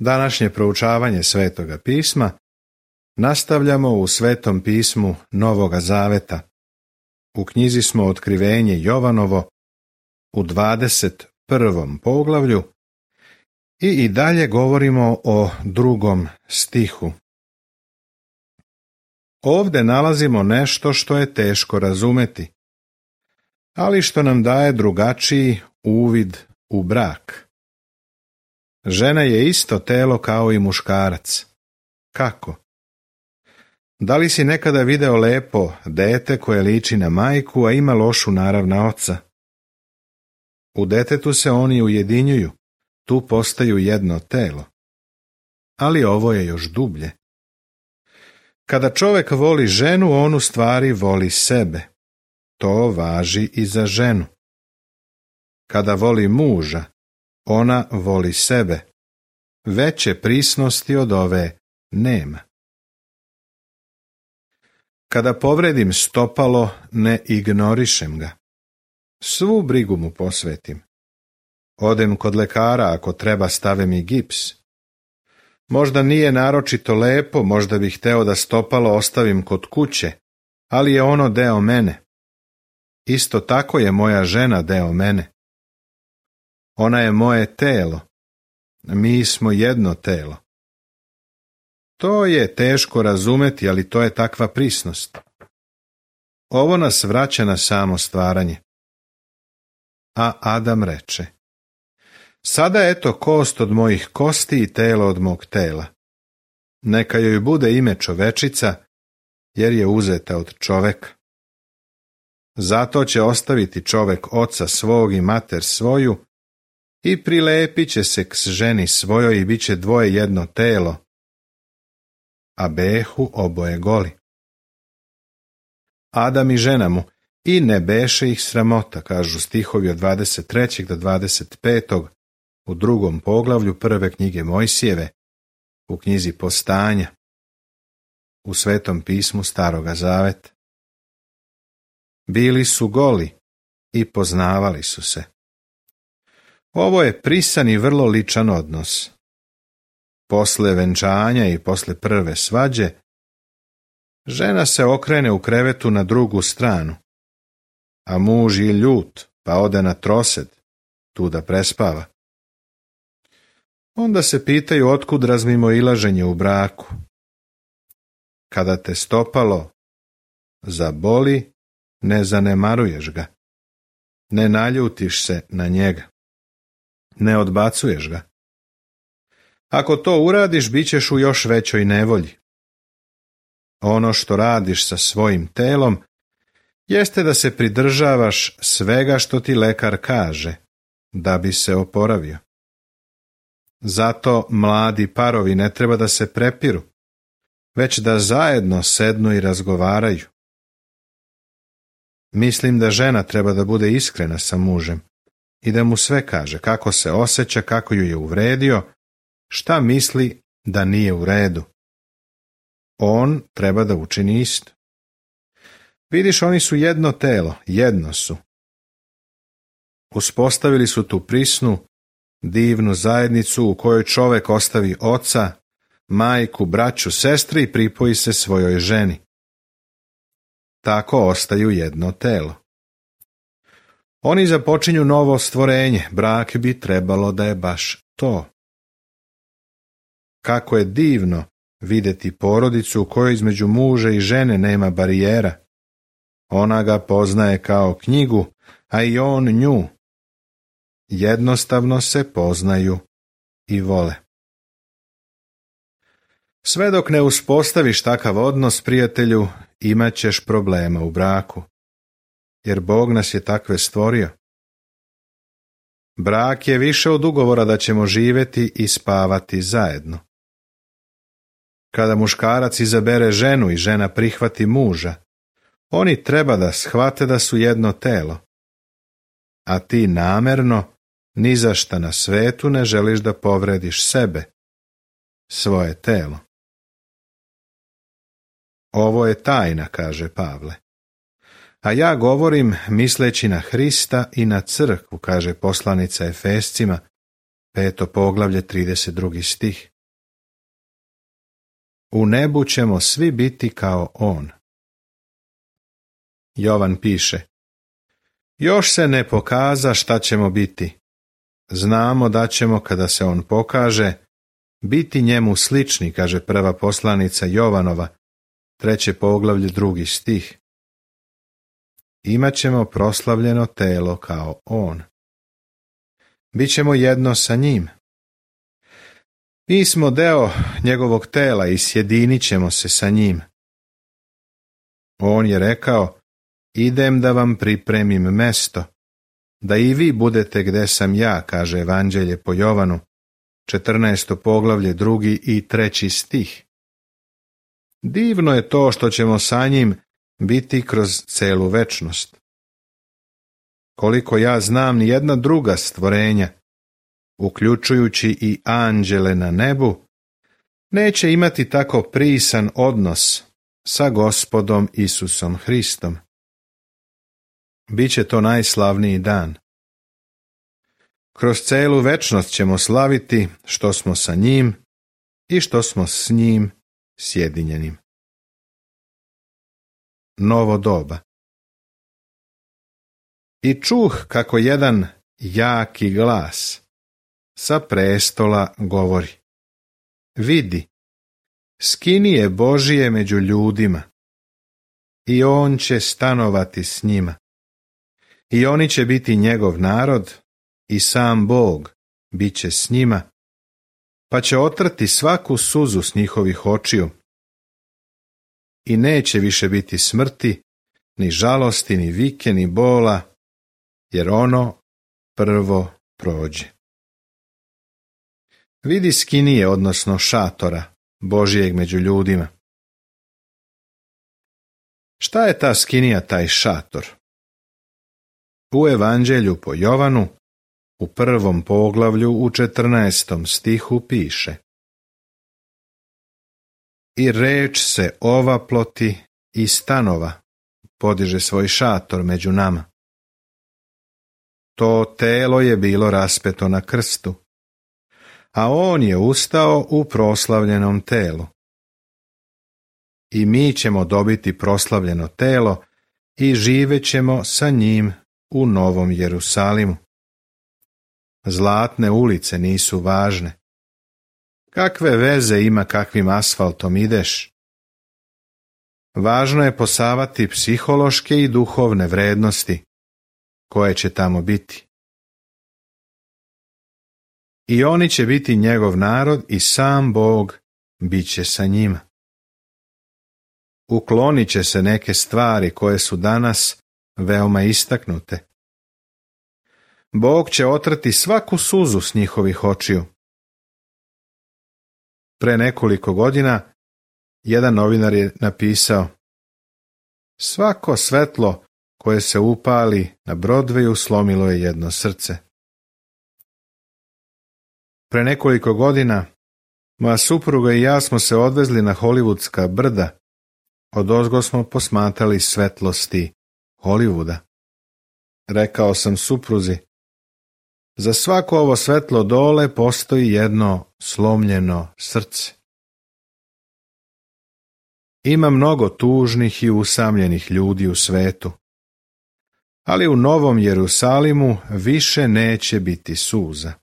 Današnje proučavanje Svetoga pisma nastavljamo u Svetom pismu Novoga Zaveta. U knjizi smo Otkrivenje Jovanovo u 21. poglavlju i dalje govorimo o 2. stihu. Ovdje nalazimo nešto što je teško razumeti, ali što nam daje drugačiji uvid u brak. Žena je isto telo kao i muškarac. Kako? Da li si nekada video lepo dete koje liči na majku, a ima lošu narav na oca? U detetu se oni ujedinjuju, tu postaju jedno telo. Ali ovo je još dublje. Kada čovjek voli ženu, on u stvari voli sebe. To važi i za ženu. Kada voli muža, ona voli sebe. Veće prisnosti od ove nema. Kada povredim stopalo, ne ignorišem ga. Svu brigu mu posvetim. Odem kod lekara, ako treba stave mi gips. Možda nije naročito lepo, možda bih hteo da stopalo ostavim kod kuće, ali je ono deo mene. Isto tako je moja žena deo mene. Ona je moje telo. Mi smo jedno telo. To je teško razumeti, ali to je takva prisnost. Ovo nas vraća na samo stvaranje. A Adam reče: sada eto kost od mojih kosti i telo od mog tela. Neka joj bude ime čovečica, jer je uzeta od čoveka. Zato će ostaviti čovek oca svog i mater svoju i prilepit će se k ženi svojoj i bit će dvoje jedno telo, a behu oboje goli. Adam i žena mu, i ne beše ih sramota, kažu stihovi od 23. do 25. u 2. poglavlju prve knjige Mojsijeve, u knjizi Postanja, u Svetom pismu Staroga Zaveta. Bili su goli i poznavali su se. Ovo je prisan i vrlo ličan odnos. Posle venčanja i posle prve svađe, žena se okrene u krevetu na drugu stranu, a muž je ljut, pa ode na trosed, tu da prespava. Onda se pitaju otkud razmimoilaženje u braku. Kada te stopalo zaboli, ne zanemaruješ ga, ne naljutiš se na njega, ne odbacuješ ga. Ako to uradiš, bit ćeš u još većoj nevolji. Ono što radiš sa svojim telom jeste da se pridržavaš svega što ti lekar kaže, da bi se oporavio. Zato mladi parovi ne treba da se prepiru, već da zajedno sednu i razgovaraju. Mislim da žena treba da bude iskrena sa mužem i da mu sve kaže, kako se osjeća, kako ju je uvredio, šta misli da nije u redu. On treba da učini isto. Vidiš, oni su jedno telo, jedno su. Uspostavili su tu prisnu, divnu zajednicu u kojoj čovek ostavi oca, majku, braću, sestri i pripoji se svojoj ženi. Tako ostaju jedno telo. Oni započinju novo stvorenje, brak bi trebalo da je baš to. Kako je divno videti porodicu u kojoj između muža i žene nema barijera. Ona ga poznaje kao knjigu, a i on nju. Jednostavno se poznaju i vole. Sve dok ne uspostaviš takav odnos, prijatelju, imat ćeš problema u braku, jer Bog nas je takve stvorio. Brak je više od ugovora da ćemo živjeti i spavati zajedno. Kada muškarac izabere ženu i žena prihvati muža, oni treba da shvate da su jedno telo, a ti namerno ni za šta na svetu ne želiš da povrediš sebe, svoje telo. Ovo je tajna, kaže Pavle. A ja govorim misleći na Hrista i na crkvu, kaže poslanica Efescima, 5. poglavlje, 32. stih. U nebu ćemo svi biti kao on. Jovan piše: još se ne pokaza šta ćemo biti. Znamo da ćemo, kada se on pokaže, biti njemu slični, kaže prva poslanica Jovanova, 3. poglavlje, 2. stih. Imaćemo proslavljeno telo kao on. Bićemo jedno sa njim. Mi smo deo njegovog tela i sjedinit ćemo se sa njim. On je rekao: idem da vam pripremim mesto, da i vi budete gde sam ja, kaže Evanđelje po Jovanu, 14. poglavlje, 2. i 3. stih. Divno je to što ćemo sa njim biti kroz celu večnost. Koliko ja znam, ni jedna druga stvorenja, uključujući i anđele na nebu, neće imati tako prisan odnos sa Gospodom Isusom Hristom. Biće to najslavniji dan. Kroz celu večnost ćemo slaviti što smo sa njim i što smo s njim sjedinjenim. Novo doba. I čuh kako jedan jaki glas sa prestola govori: vidi, skinije Božije među ljudima, i on će stanovati s njima, i oni će biti njegov narod, i sam Bog bit će s njima, pa će otrti svaku suzu s njihovih očiju. I neće više biti smrti, ni žalosti, ni vike, ni bola, jer ono prvo prođe. Vidi skinije, odnosno šatora Božijeg među ljudima. Šta je ta skinija, taj šator? U Evanđelju po Jovanu, u 1. poglavlju, u 14. stihu piše: i reč se ovaploti i stanova, podiže svoj šator među nama. To telo je bilo raspeto na krstu, a on je ustao u proslavljenom telu. I mi ćemo dobiti proslavljeno telo i živećemo sa njim u Novom Jerusalimu. Zlatne ulice nisu važne. Kakve veze ima kakvim asfaltom ideš? Važno je posavati psihološke i duhovne vrednosti koje će tamo biti. I oni će biti njegov narod i sam Bog bit će sa njima. Uklonit će se neke stvari koje su danas veoma istaknute. Bog će otrti svaku suzu s njihovih očiju. Pre nekoliko godina jedan novinar je napisao: svako svetlo koje se upali na Broadwayu slomilo je jedno srce. Pre nekoliko godina moja supruga i ja smo se odvezli na Hollywoodska brda. Odozgo smo posmatrali svetlosti Hollywooda. Rekao sam supruzi: za svako ovo svetlo dole postoji jedno slomljeno srce. Ima mnogo tužnih i usamljenih ljudi u svetu, ali u Novom Jerusalimu više neće biti suza.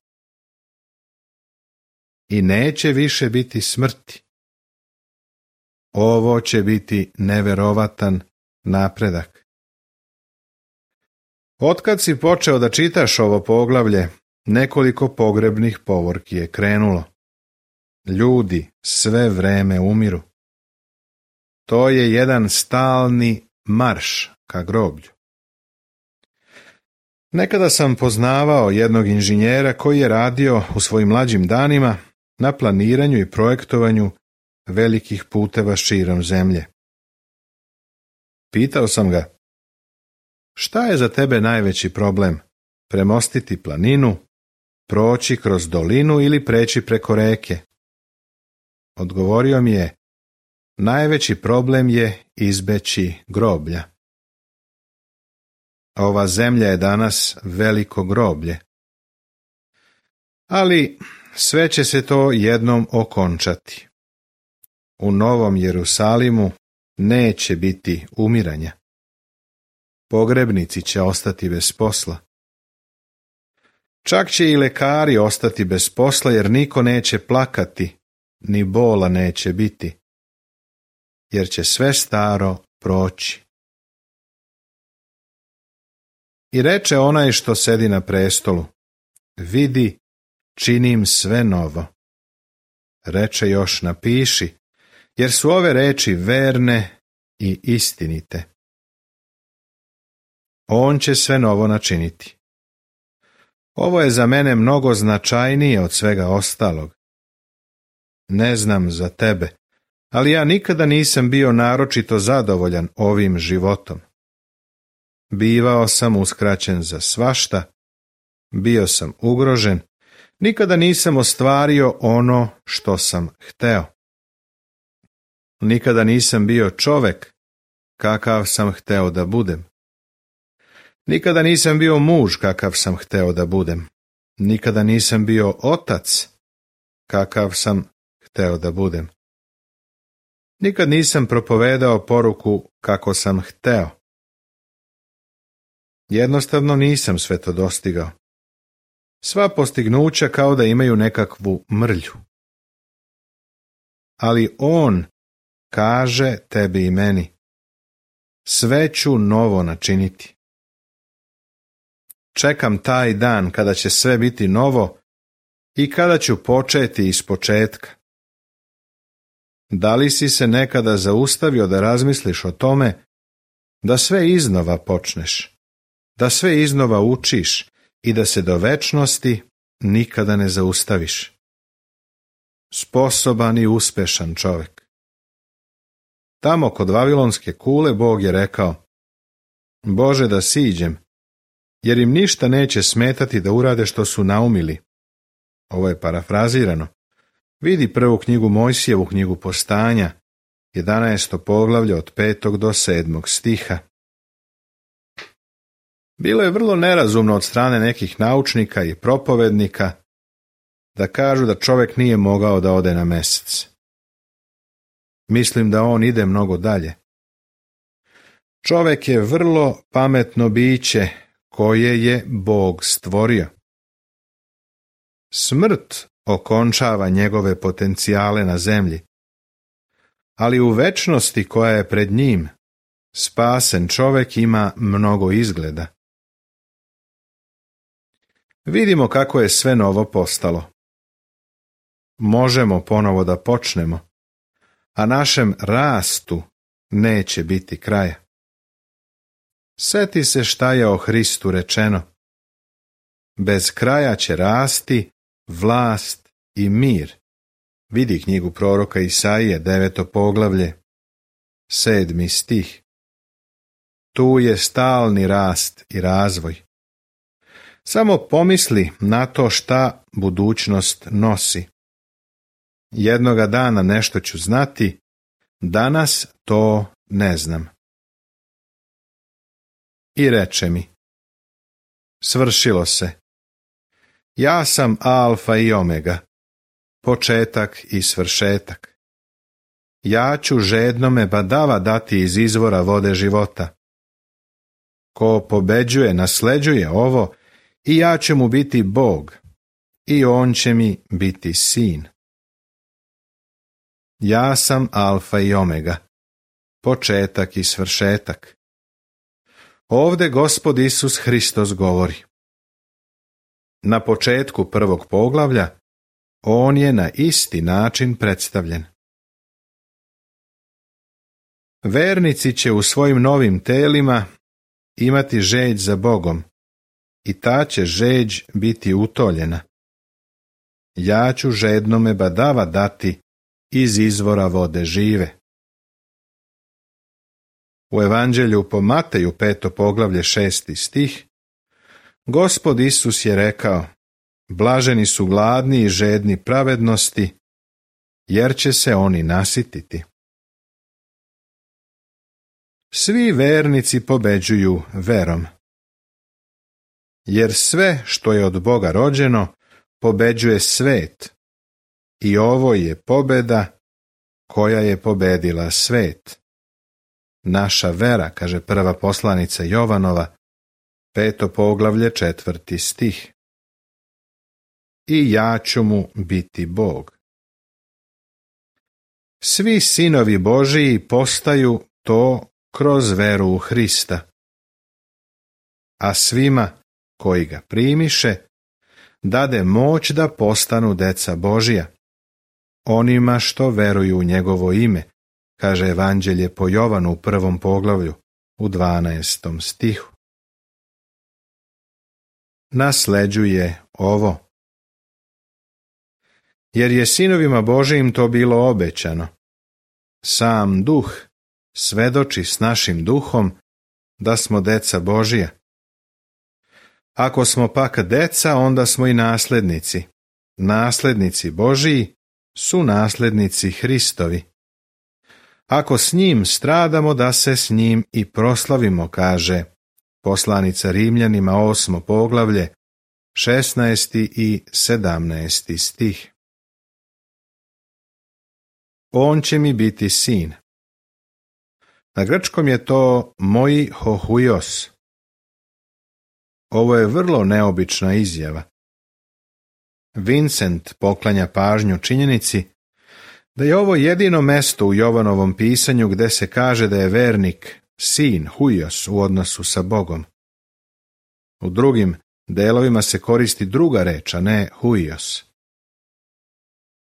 I neće više biti smrti. Ovo će biti neverovatan napredak. Otkad si počeo da čitaš ovo poglavlje, nekoliko pogrebnih povorki je krenulo. Ljudi sve vreme umiru. To je jedan stalni marš ka groblju. Nekada sam poznavao jednog inženjera koji je radio u svojim mlađim danima na planiranju i projektovanju velikih puteva širom zemlje. Pitao sam ga: šta je za tebe najveći problem? Premostiti planinu, proći kroz dolinu ili preći preko reke? Odgovorio mi je: najveći problem je izbeći groblja. Ova zemlja je danas veliko groblje. Ali sve će se to jednom okončati. U Novom Jerusalimu neće biti umiranja. Pogrebnici će ostati bez posla. Čak će i lekari ostati bez posla, jer niko neće plakati, ni bola neće biti, jer će sve staro proći. I reče onaj što sedi na prestolu: vidi, činim sve novo. Reče još: napiši, jer su ove reči verne i istinite. On će sve novo načiniti. Ovo je za mene mnogo značajnije od svega ostalog. Ne znam za tebe, ali ja nikada nisam bio naročito zadovoljan ovim životom. Bivao sam uskraćen za svašta, bio sam ugrožen, nikada nisam ostvario ono što sam hteo. Nikada nisam bio čovek kakav sam hteo da budem. Nikada nisam bio muž kakav sam hteo da budem. Nikada nisam bio otac kakav sam hteo da budem. Nikad nisam propovedao poruku kako sam hteo. Jednostavno nisam sve to dostigao. Sva postignuća kao da imaju nekakvu mrlju. Ali on kaže tebi i meni: sve ću novo načiniti. Čekam taj dan kada će sve biti novo i kada ću početi iz početka. Da li si se nekada zaustavio da razmisliš o tome da sve iznova počneš, da sve iznova učiš i da se do večnosti nikada ne zaustaviš? Sposoban i uspešan čovjek. Tamo kod Vavilonske kule Bog je rekao: Bože, da siđem, jer im ništa neće smetati da urade što su naumili. Ovo je parafrazirano. Vidi prvu knjigu Mojsijevu, knjigu Postanja, 11. poglavlje od 5. do 7. stiha. Bilo je vrlo nerazumno od strane nekih naučnika i propovednika da kažu da čovjek nije mogao da ode na Mesec. Mislim da on ide mnogo dalje. Čovjek je vrlo pametno biće koje je Bog stvorio. Smrt okončava njegove potencijale na zemlji, ali u večnosti koja je pred njim, spasen čovjek ima mnogo izgleda. Vidimo kako je sve novo postalo. Možemo ponovo da počnemo, a našem rastu neće biti kraja. Seti se šta je o Hristu rečeno: bez kraja će rasti vlast i mir. Vidi knjigu proroka Isaije, 9. poglavlje, 7. stih. Tu je stalni rast i razvoj. Samo pomisli na to šta budućnost nosi. Jednoga dana nešto ću znati, danas to ne znam. I reče mi: svršilo se. Ja sam alfa i omega, početak i svršetak. Ja ću žednome badava dati iz izvora vode života. Ko pobeđuje, nasleđuje ovo, i ja ću mu biti Bog, i on će mi biti sin. Ja sam alfa i omega, početak i svršetak. Ovde Gospod Isus Hristos govori. Na početku prvog poglavlja on je na isti način predstavljen. Vernici će u svojim novim telima imati žeđ za Bogom, i ta će žeđ biti utoljena. Ja ću žednome badava dati iz izvora vode žive. U Evanđelju po Mateju, 5. poglavlje, 6. stih, Gospod Isus je rekao: blaženi su gladni i žedni pravednosti, jer će se oni nasititi. Svi vernici pobeđuju verom. Jer sve što je od Boga rođeno pobeđuje svet, i ovo je pobeda koja je pobedila svet. Naša vera, kaže prva poslanica Jovanova, 5. poglavlje, 4. stih. I ja ću mu biti Bog. Svi sinovi Božiji postaju to kroz veru u Hrista. A svima koji ga primiše, dade moć da postanu deca Božija, onima što veruju u njegovo ime, kaže Evanđelje po Jovanu u 1. poglavlju, u 12. stihu. Nasleđuje ovo. Jer je sinovima Božijim to bilo obećano. Sam Duh svedoči s našim duhom da smo deca Božija. Ako smo pak deca, onda smo i naslednici. Naslednici Božiji su naslednici Hristovi. Ako s njim stradamo, da se s njim i proslavimo, kaže poslanica Rimljanima 8. poglavlje, 16. i 17. stih. On će mi biti sin. Na grčkom je to moi hohuios. Ovo je vrlo neobična izjava. Vincent poklanja pažnju činjenici da je ovo jedino mesto u Jovanovom pisanju gde se kaže da je vernik sin, huios, u odnosu sa Bogom. U drugim delovima se koristi druga reč, a ne huios.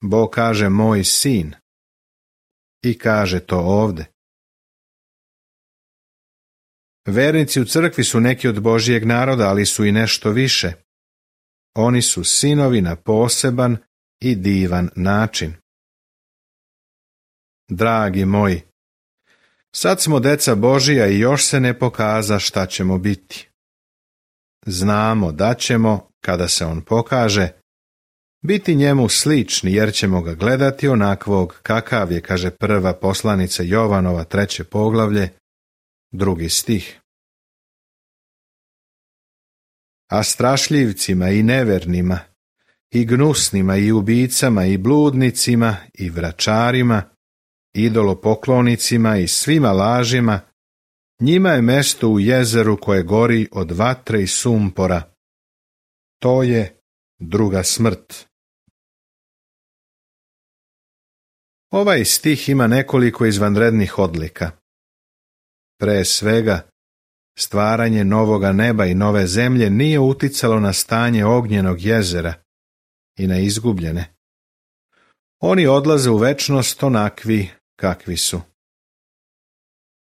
Bog kaže moj sin i kaže to ovde. Vernici u crkvi su neki od Božijeg naroda, ali su i nešto više. Oni su sinovi na poseban i divan način. Dragi moji, sad smo deca Božija i još se ne pokaza šta ćemo biti. Znamo da ćemo, kada se on pokaže, biti njemu slični, jer ćemo ga gledati onakvog kakav je, kaže prva poslanica Jovanova 3. poglavlje, 2. stih. A strašljivcima i nevernima, i gnusnima i ubicama i bludnicima i vračarima, idolopoklonicima i svima lažima, njima je mesto u jezeru koje gori od vatre i sumpora. To je druga smrt. Ovaj stih ima nekoliko izvanrednih odlika. Pre svega, stvaranje novoga neba i nove zemlje nije uticalo na stanje ognjenog jezera i na izgubljene. Oni odlaze u večnost onakvi kakvi su.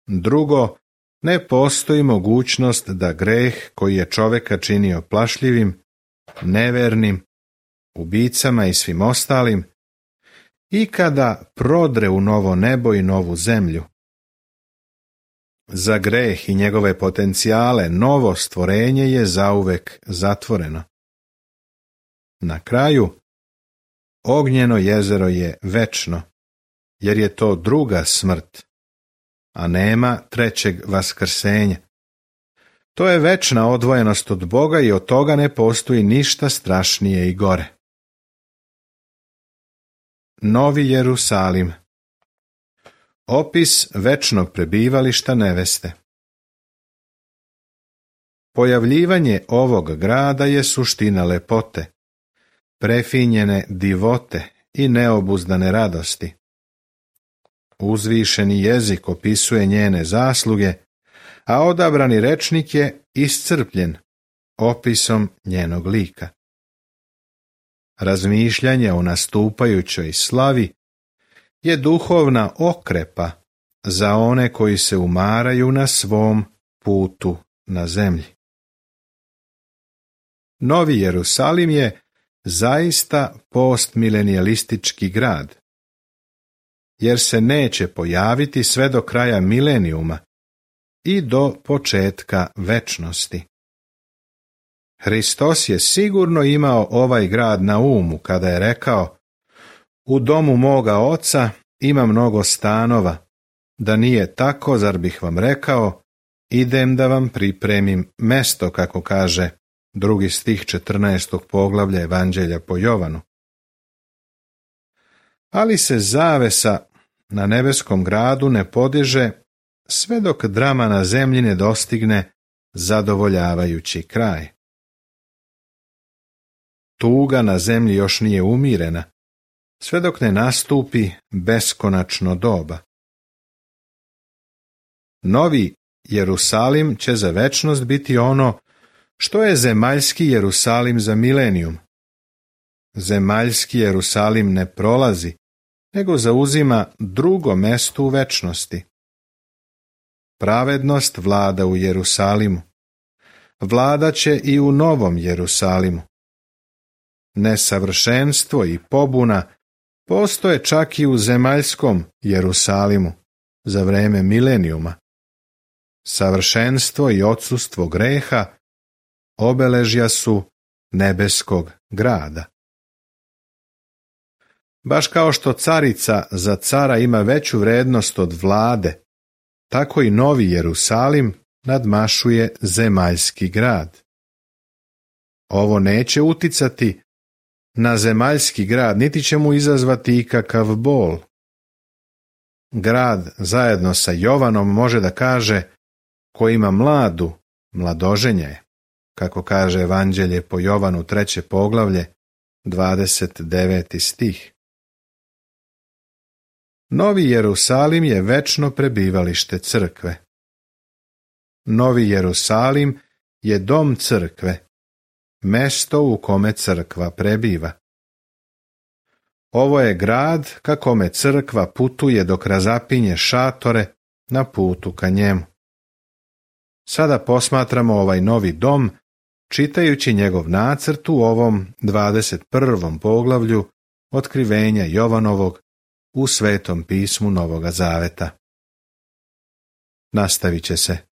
Drugo, ne postoji mogućnost da greh koji je čoveka činio plašljivim, nevernim, ubicama i svim ostalim, ikada prodre u novo nebo i novu zemlju. Za greh i njegove potencijale novo stvorenje je zauvek zatvoreno. Na kraju, ognjeno jezero je večno, jer je to druga smrt, a nema trećeg vaskrsenja. To je večna odvojenost od Boga i od toga ne postoji ništa strašnije i gore. Novi Jerusalim. Opis večnog prebivališta neveste. Pojavljivanje ovog grada je suština lepote, prefinjene divote i neobuzdane radosti. Uzvišeni jezik opisuje njene zasluge, a odabrani rečnik je iscrpljen opisom njenog lika. Razmišljanje o nastupajućoj slavi je duhovna okrepa za one koji se umaraju na svom putu na zemlji. Novi Jerusalim je zaista postmilenijalistički grad, jer se neće pojaviti sve do kraja milenijuma i do početka večnosti. Hristos je sigurno imao ovaj grad na umu kada je rekao: u domu moga oca ima mnogo stanova, da nije tako, zar bih vam rekao, idem da vam pripremim mesto, kako kaže 2. stih 14. poglavlja Evanđelja po Jovanu. Ali se zavesa na nebeskom gradu ne podiže sve dok drama na zemlji ne dostigne zadovoljavajući kraj. Tuga na zemlji još nije umirena, sve dok ne nastupi beskonačno doba. Novi Jerusalim će za večnost biti ono što je zemaljski Jerusalim za milenijum. Zemaljski Jerusalim ne prolazi, nego zauzima drugo mesto u večnosti. Pravednost vlada u Jerusalimu. Vlada će i u novom Jerusalimu. Nesavršenstvo i pobuna postoje čak i u zemaljskom Jerusalimu za vreme milenijuma. Savršenstvo i odsustvo greha obeležja su nebeskog grada. Baš kao što carica za cara ima veću vrednost od vlade, tako i novi Jerusalim nadmašuje zemaljski grad. Ovo neće uticati na zemaljski grad, niti će mu izazvati ikakav bol. Grad zajedno sa Jovanom može da kaže: ko ima mladu, mladoženja je, kako kaže Evanđelje po Jovanu 3. poglavlje, 29. stih. Novi Jerusalim je večno prebivalište crkve. Novi Jerusalim je dom crkve, mesto u kome crkva prebiva. Ovo je grad ka kome crkva putuje dok razapinje šatore na putu ka njemu. Sada posmatramo ovaj novi dom, čitajući njegov nacrt u ovom 21. poglavlju otkrivenja Jovanovog u Svetom pismu Novoga Zaveta. Nastavit će se